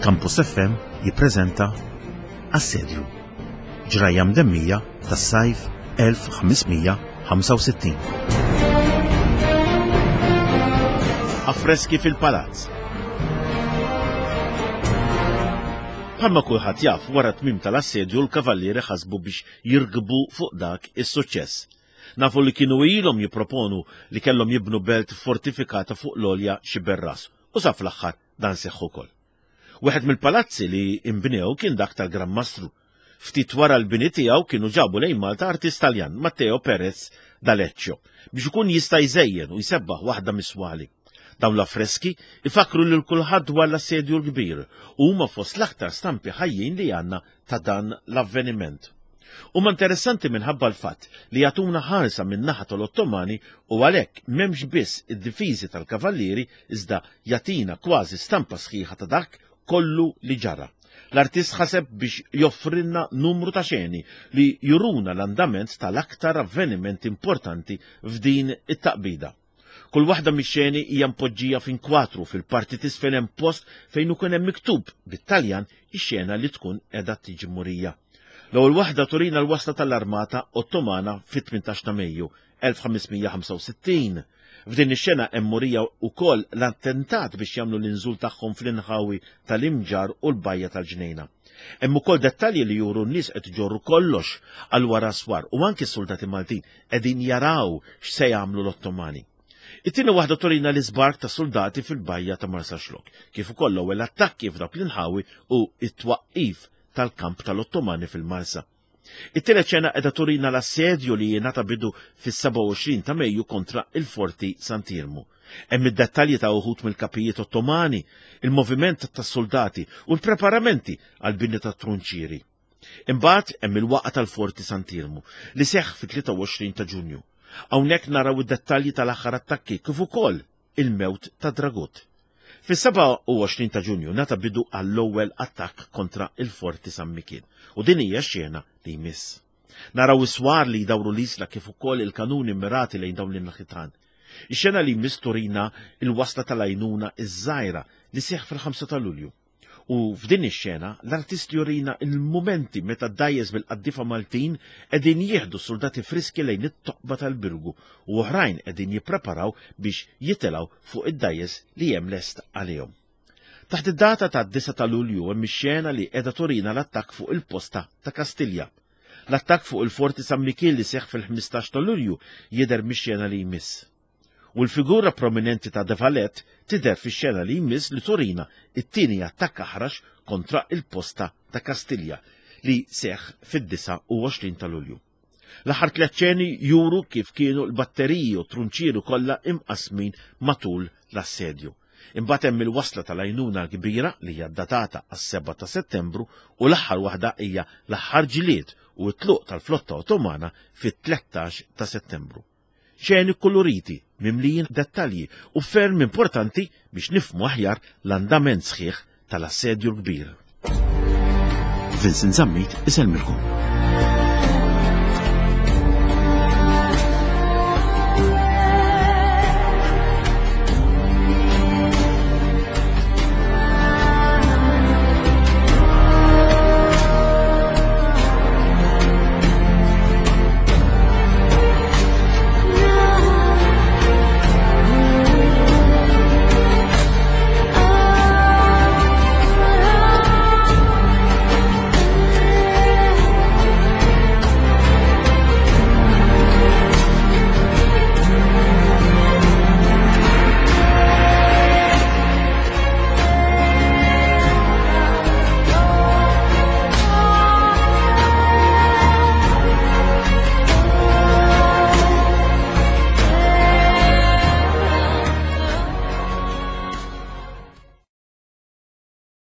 Campus FM jippreżenta Assedju. Ġrajja mdemmija tas-sajf 1565. Affreski fil-palazz. Bħalma kulħadd jaf, wara tmiem tal-assedju l-kavallieri ħasbu biex jirkbu fuq dak is-suċċess. Nafu li kienu ilhom jipproponu li kellhom jibnu belt fortifikata fuq l-għolja Xiberras u sa fl-aħħar dan seħħ ukoll. Wieħed mill-palazzi li imbnew kien dak tal-Gran Mastru. Ftit wara l-bini tiegħu kienu ġabu lejn Malta artist Taljan, Matteo Perez d'Aleccio, biex ikun jista' jżejjen u jsebbaħ waħda mis-swali. Dawn l-affreski ifakkru lil kulħadd dwar l-Assedju l-Kbir u huma fost l-aktar stampi ħajjin li għandna ta' dan l-avveniment. Huma interessanti minħabba l-fatt li jagħtuna ħarsa min-naħa tal-Ottomani u għalhekk m'hemmx biss id-difiżi tal-kavallieri iżda jagħtina kważi stampa sħiħa ta' dak kollu li ġara. L-artist ħaseb biex joffrilna numru ta' xeni li juruna l-andament tal-aktar avvenimenti importanti f'din it-taqbida. Kull waħda mix-xeni hija mpoġġija f'inkwatru fil-parti t'isfel hemm post fejn ikun hemm miktub bit-Taljan ix-xena li tkun qiegħda tiġi murija. L-ewwel waħda turina l-wasla tal-armata Ottomana fit-18 ta' Mejju 1565. F'din ix-xena hemm murija wkoll l-attentat biex jagħmlu l-inżul tagħhom fl-inħawi tal-Imġarr u l-Bajja tal-Ġnejna. Hemm ukoll dettalji li juru n-nies qed iġorru kollox għal wara s-swar u anki s-suldati Maltin qegħdin jaraw x'se jagħmlu l-Ottomani. It-tieni waħda turina l-iżbark ta' suldati fil-bajja ta' Marsaxlokk, kif ukoll l-ewwel attakki f'dawk l-inħawi u t-twaqqif tal-kamp tal-Ottomani fil-Marsa. It-tielet xena qiegħda turina l-assedju li jingħata bidu fis-27 ta' Mejju kontra il-Forti Sant'Iermu. Hemm id-dettalji ta' uħud mill-kapijiet Ottomani, il-moviment tas-soldati u l-preparamenti għall-bini tat-trunċieri. Imbagħad hemm il-waqgħa tal-Forti Sant'Iermu li seħħ fit-23 ta' Ġunju. Hawnhekk naraw id-dettalji tal-aħħar attakki kif ukoll il-mewt ta' Dragut. Fis-27 ta' Ġunju ngħata bidu għall-ewwel attakk kontra il-Forti San Mikiel u din hija x-xena li jmiss. Naraw is-swar li jdawru l-isla kif ukoll il-kanuni mirati lejn dawn l-inħitan. Ix-xena li jmiss turina il-wasla tal-għajnuna iż-żgħira li seħħ fil-5 ta' Lulju. U f'din ix-xena l-artist jurina il-mumenti meta d-dgħajjes bil-qaddiefa Maltin qegħdin jieħdu soldati friski lejn it-toqba tal-Birgu u oħrajn qegħdin jippreparaw biex jitilgħu fuq id-dgħajjes li hemm lest għalihom. Taħt id-data tad-9 ta' Lulju hemm ix-xena li qiegħda turina l-attakk fuq il-posta ta' Kastilja. L-attakk fuq il-Forti San Mikiel li seħħ fil-15 ta' Lulju jidher mix-xena li jmiss. U l-figura prominenti ta' De Valette tidher fix-xena li jmiss li turina it-tieni attakk aħrax kontra il-posta ta' Kastilja li seħħ fid-29 ta' Lulju. L-aħħar tliet xeni juru kif kienu l-batteriji u trunċieri kollha imqasmin matul l-assedju. Imbagħad hemm il-wasla tal-għajnuna l-kbira li hija datata għas-7 ta' Settembru u l-aħħar waħda hija l-aħħar ġlied u t-tluq tal-flotta Ottomana fit-13 ta' Settembru. Xeni kkuluriti, mimlijin dettalji u ferm importanti biex nifhmu aħjar l-andament sħiħ tal-Assedju l-Kbir. Vincent Zammit isellmilkom.